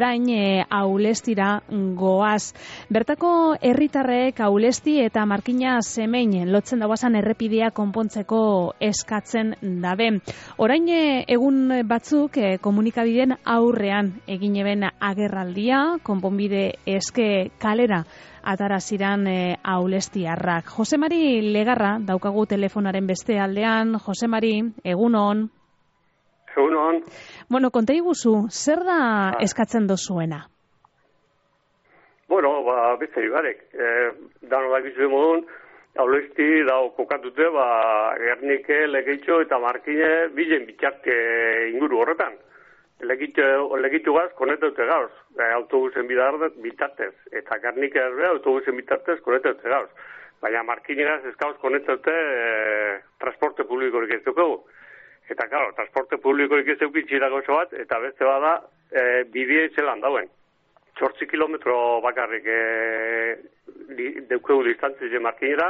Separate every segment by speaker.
Speaker 1: orain Aulestira goaz. Bertako herritarrek Aulesti eta Markina Zemein lotzen dauazan errepidea konpontzeko eskatzen dabe. Orain egun batzuk komunikabideen aurrean egin eben agerraldia, konponbide eske kalera ataraziran Aulestiarrak. Jose Mari Legarra daukagu telefonaren beste aldean. Jose Mari, egunon.
Speaker 2: Egunon.
Speaker 1: Bueno, konta iguzu, zer da eskatzen dozuena?
Speaker 2: Bueno, beste ibarek. Dano dakizu modun, Aulesti dao kokatute, Gernike, Legeitxo eta Markine bilen bitxarte inguru horretan. Legitu gaz, konetaute gauz, autobusen bitartez, eta Gernike autobusen bitartez konetaute gauz. Baina Markine gaz ez gauz konetaute transporte publikorik ez dugu. Eta, claro, transporte publikorik ez eukitxira gozo bat, eta beste bada bidea itzelan dauen. 8 kilometro bakarrik deukegu distantzia Markinera,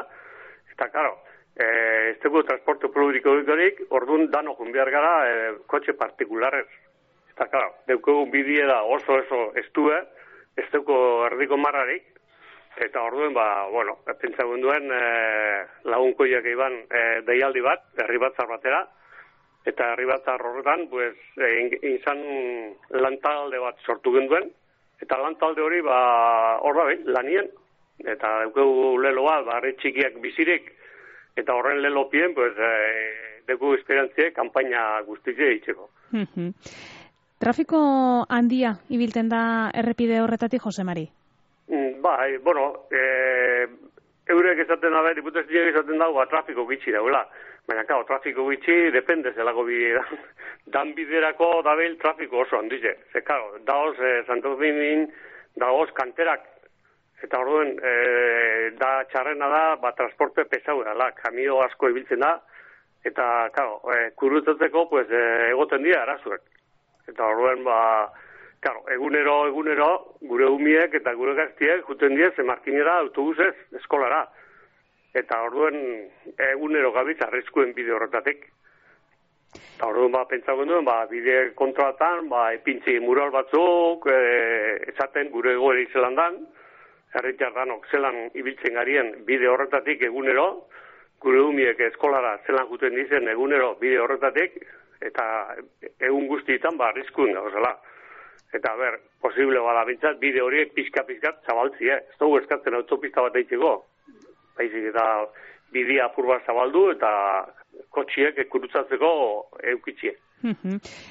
Speaker 2: eta, claro, ez dugu transporte publikorik, orduan dano junbiar gara kotxe partikularrez. Eta, claro, deukegu bidea da oso estue, ez dugu erdiko marrarik, eta orduen, bueno, pentsagun duen lagunkoiak iban deialdi bat, herri batzar batera, eta herri batzar horretan, pues, izan lantalde bat sortu genduen, eta lantalde hori, hor da lanien, eta deukegu lelo bat, herri txikiak bizirik, eta horren lelopien, pues, deukegu esperantzie, kanpaina guztize eitzeko.
Speaker 1: Trafiko handia ibilten da errepide horretatik, Jose Mari?
Speaker 2: Bai, bueno, eurek esaten da, diputazioak esaten dago, trafiko gitxi daula. Baina, claro, trafiko gitxi depende zelako bidean. Dan biderako dabil trafiko oso handize. Ze, claro, daoz Santo Domingo, daoz kanterak. Eta orduen, da txarrena da, transporte pesau dela, kamio asko ibiltzen da. Eta, claro, kurutzatzeko, pues, egoten dira arazuek. Eta orduen, claro, egunero, gure umiek eta gure gaztiek juten diez, Markinera autobusez, eskolara. Eta orduen, egunero gabiz arriskuen bide horretatik. Eta orduen, pentsatzen duen, bide kontrolatan, epintzi mural batzuk, esaten gure egoera izelan dan, herritar danok zelan ibiltzen garien bide horretatik egunero, gure umiek eskolara zelan juten dizen egunero bide horretatik, eta egun guztietan arriskuen gauzela. Eta posible bada bintzat, bide horiek pixka-pixkat zabaltzie. Ez dugu eskatzen autopista bat eitzeko. Baizik eta bidea apur bat zabaldu eta kotxiek kurutzatzeko eukitzie.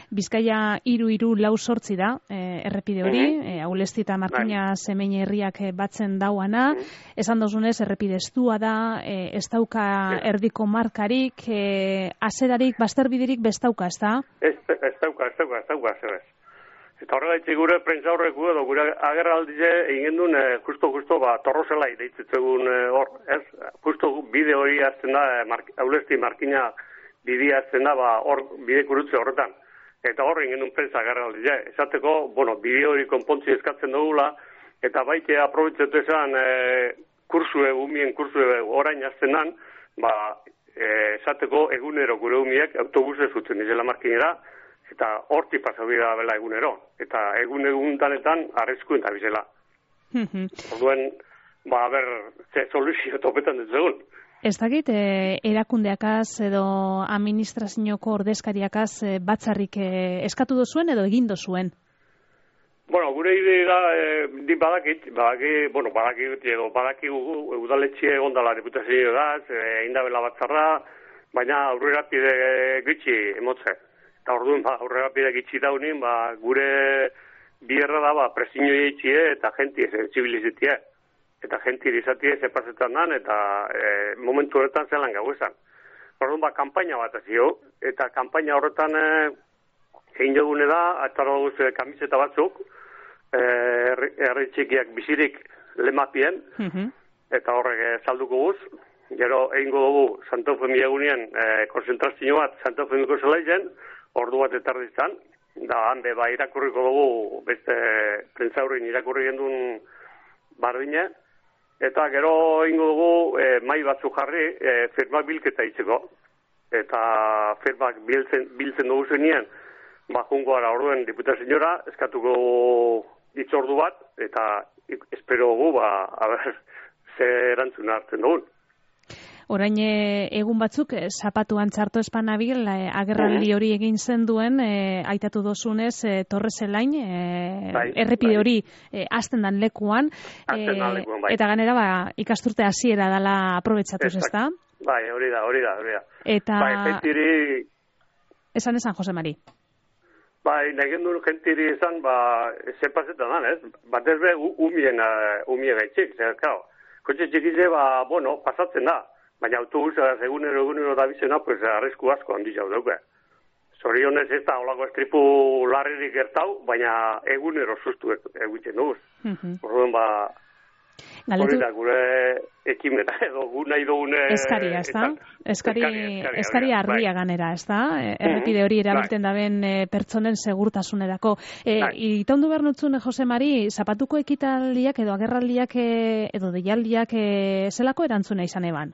Speaker 1: Bizkaia 3-4 da, errepide hori, Aulesti eta Markina Zemein herriak batzen dauana. Esan dozunez, errepide estua da, ez dauka erdiko markarik, azerarik, bazterbiderik bestauka, ez da?
Speaker 2: Ez dauka, zebez. Eta horrela gure prentza horreku edo gure agerraldize egin duen justo torrozelai deitzetzegun hor, ez? Justo bide hori azten da, Aulesti Markina bidea azten da, hor bide kurutze horretan. Eta hor egin duen prentza agerraldize. Esateko, bide hori konpontzi eskatzen dugula, eta baite aprobetzetu esan umien kursue orain azten dan, esateko egunero gure umiek autobuse zutzen izela Markinera, eta horti pasabida bela egunero. Eta egun-eguntanetan arriskuen da bizela. Orduen, ze soluzio topetan dut zegoen.
Speaker 1: Ez dakit, erakundeakaz edo administrazioko ordezkariakaz batzarrik eskatu dozuen edo egin dozuen?
Speaker 2: Bueno, gure idea badaki udaletxe egondala diputazio gaz, indabela batzarra, baina aurrera pide gitxi emotze. Eta orduan, aurrera pide gitxi daunin, gure bierra da, presiño eitxie eta jenti zibilizitie. Eta jenti izatie zepazetan dan, eta momentu horretan zelan gau esan. Orduan, kampaina bat azio, eta kampaina horretan egin jogune da, atara duz kamiseta batzuk, herri txikiak bizirik lemapien, eta horrek salduko guz. Gero egingo dugu Santo Eufemia egunean konzentrazio bat Santo Eufemiko zelaizen, ordu bat etarditzan, da hande irakurriko dugu beste prentzaurrin irakurri gendun bardine, eta gero egingo dugu mai batzu jarri firmak bilketa itzeko. Eta firmak biltzen dugu zenien, jungo gara orduen diputazioa, eskatuko hitzordu bat, eta espero gu, ze erantzuna hartzen dugun.
Speaker 1: Orain egun batzuk zapatuan txarto espanabil agerraldi hori egin zen duen aitatu dozunez Torreselain errepide hori hasten dan lekuan eta ganera ikasturte hasiera dela aprobetxatuz, ezta?
Speaker 2: Bai, hori da.
Speaker 1: Eta
Speaker 2: gentiri
Speaker 1: esan Jose Mari.
Speaker 2: Bai, nahi duen gentiri esan, zepazetan dan, ez? Batez be, umie gaitxik, zer, kao. Kotxe txikize, pasatzen da. Baina autobusa egunero da bizena, pues arrisku asko handi jau dauke. Zorionez ez da holako estripu larririk gertau, baina egunero sustu egiten duz. Orduan hori da gure ekimena edo gu nahi dugune...
Speaker 1: Eskaria, ez da? Eskaria argia ganera, ez da? Errepide hori erabilten daben pertsonen segurtasunerako. Itaundu behar nutzun, Jose Mari, zapatuko ekitaldiak edo agerraldiak edo deialdiak zelako erantzuna izan eban?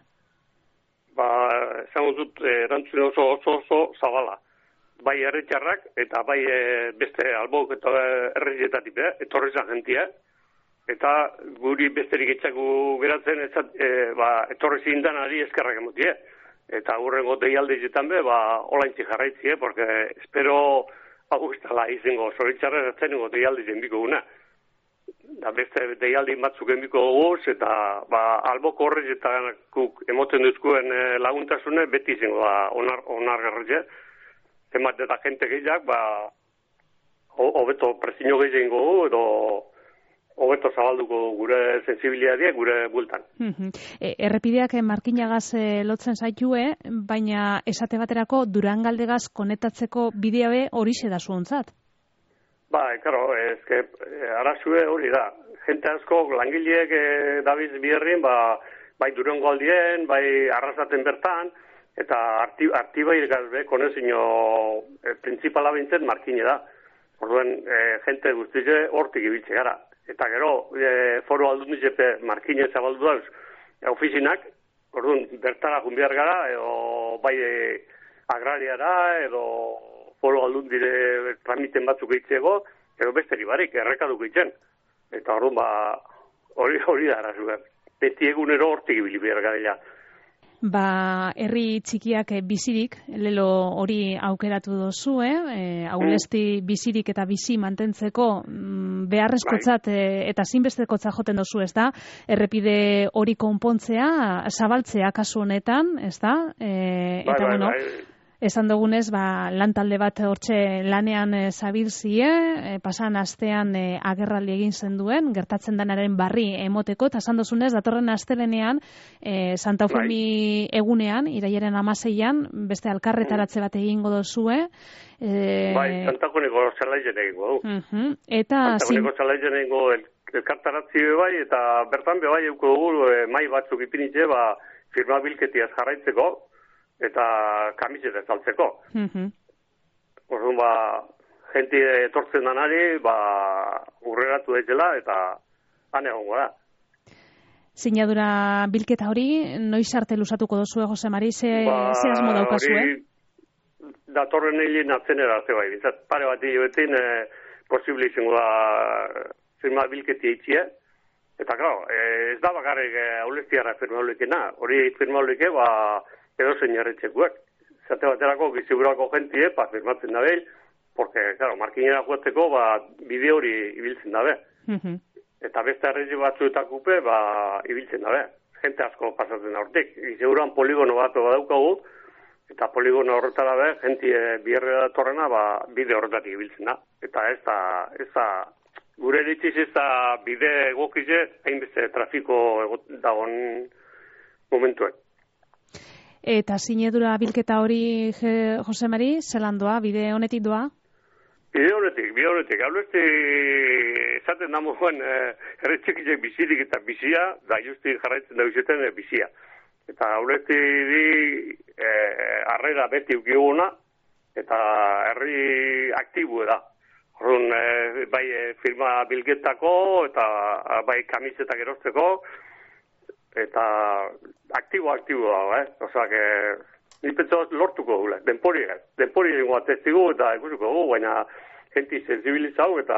Speaker 2: Esan dut erantzune oso zabala. Bai herritarrak eta bai beste albok eta herrietatik etorri zan jentia. Eta guri besterik etxaku geratzen etorri zindanari eskerrak emotie. Eta hurrengo deialdizetan olaintzi jarraitzie, porque espero augustala izango zoritzarra zenengo deialdizen biko guna. Da beste deialdi batzuk enbiko goguz, eta alboko horrez eta emoten duzkuen laguntasune beti izango onargarretxe. Emat eta jente gehiak, hobeto prezino gehiago gogu, edo hobeto zabalduko gure sensibiliadia gure bultan.
Speaker 1: Errepideak markinagaz lotzen zaitue, baina esate baterako Durangaldegaz konektatzeko bidea horixe da zuontzat.
Speaker 2: Karo, arazue hori da. Jente asko langileek dabiz biherrien, bai Durango aldien, bai arrasaten bertan, eta artibai gazbe, konezino principala bintzen markine da. Orduen, jente guztize hortik ibiltze gara. Eta gero, foro aldundizepe markine zabaldu dauz, ofizinak, orduen, bertara junbiar gara, edo bai agrariara, edo foro aldundire tramiten batzuk eitzego, edo besteri barik, errekaduk eitzen. Eta orduan, hori da arazuak. Beti egunero hortik ibili behar gara.
Speaker 1: Herri txikiak bizirik, lelo hori aukeratu dozue, aulesti bizirik eta bizi mantentzeko beharrezkotzat eta zinbestekotzat joten dozu, ez da? Errepide hori konpontzea, zabaltzea kasu honetan, ez da? Eta bueno, esan dugunez, lantalde bat hortxe lanean zabilzie, pasan astean agerraldi egin zenduen, gertatzen denaren barri emoteko, eta esan duzunez, datorren astelenean, Santa Eufemi egunean, irailaren 16an, beste alkarretaratze bat egingo dozue.
Speaker 2: Santa Eufemiko zelaizen egingo du.
Speaker 1: Santa
Speaker 2: Eufemiko zelaizen egingo elkartaratzi bai, eta bertan bai euko dugu mai batzuk ipinitze, firma bilketiaz jarraitzeko, eta kamiseta saltzeko. Orduan, jenti etortzen danari, urreratu daitela, eta han egongo da.
Speaker 1: Sinadura bilketa hori, noiz arte luzatuko dozue, Jose Mari, ze asmo daukazue?
Speaker 2: Datorren egin atzenera arte bai, bintzat, pare bat hiloetin posible izango da firma bilketi eitxia, eta claro, ez da bakarrik aulestiara firma holikena, hori firma holike, edo zein jarretxekuak. Zate baterako, gizigurako jentie, firmatzen dabe, porque, claro, markinera joateko, bide hori ibiltzen dabe. Eta beste arrezi batzuetakupe, ibiltzen dabe. Jente asko pasatzen da hortik. Giziguran poligono bat badaukagu, eta poligono horretara dabe, jentie bierre datorrena, bide horretatik ibiltzen da. Eta ez da, gure eritziz ez da bide egokize, hainbeste trafiko dagoen momentuek.
Speaker 1: Eta sinedura bilketa hori, Jose Mari, zelan doa, bide honetik doa?
Speaker 2: Bide honetik. Aulesti esaten da moduan erretxekizek bizirik eta bizia, da justi jarraitzen da bizeten bizia. Eta aulesti di arrera beti ukiguna, eta herri aktibu da. Horren, bai firma bilketako, eta bai kamisetak erosteko, eta aktibo dago, Osa, ni pentsa lortuko gula, denpori egingo atestigu eta ikusiko gu, baina jenti sensibilizau eta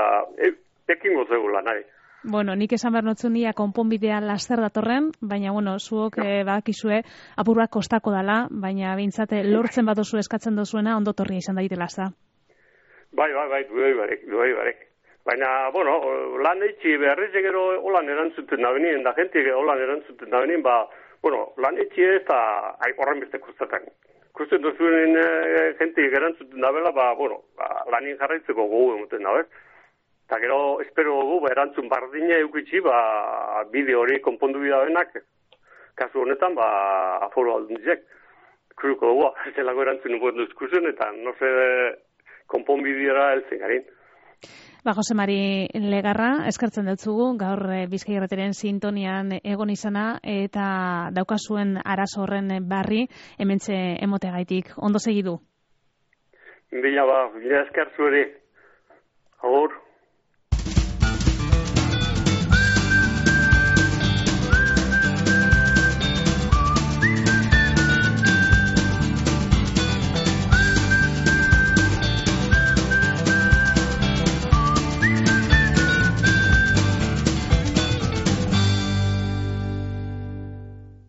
Speaker 2: ekingo zegula nahi.
Speaker 1: Bueno, nik esan behar notzun nia konponbidea laster datorren, baina, bueno, zuok badakizue apur bat kostako dala, baina bintzate lortzen badozu eskatzen dozuena ondotorria izan daitela, ezta?
Speaker 2: Bai, duei barek. Baina, bueno, lan eitzi beharriz egero holan erantzuten da benien, da jentik holan erantzuten da benien, bueno, lan eitzi ez da horren beste kostatan. Kusten duzuen jentik erantzuten da bela, bueno, lanin jarraitzeko gogu emoten da, ez? Eta gero, espero dugu, erantzun bardina eukitzi, bideo hori konpondu bidabenak, kasu honetan, aforo alduntzek. Kuruko dugu, zelako erantzun nukot duzkusen, eta no se konponbideara heltzen garin.
Speaker 1: Jose Mari Legarra, eskertzen dutzugu, gaur Bizkai Irratiaren sintonian egon izana, eta daukazuen arazo horren barri, hementxe emotegaitik. Ondo segidu?
Speaker 2: Bila esker zueri. Agur.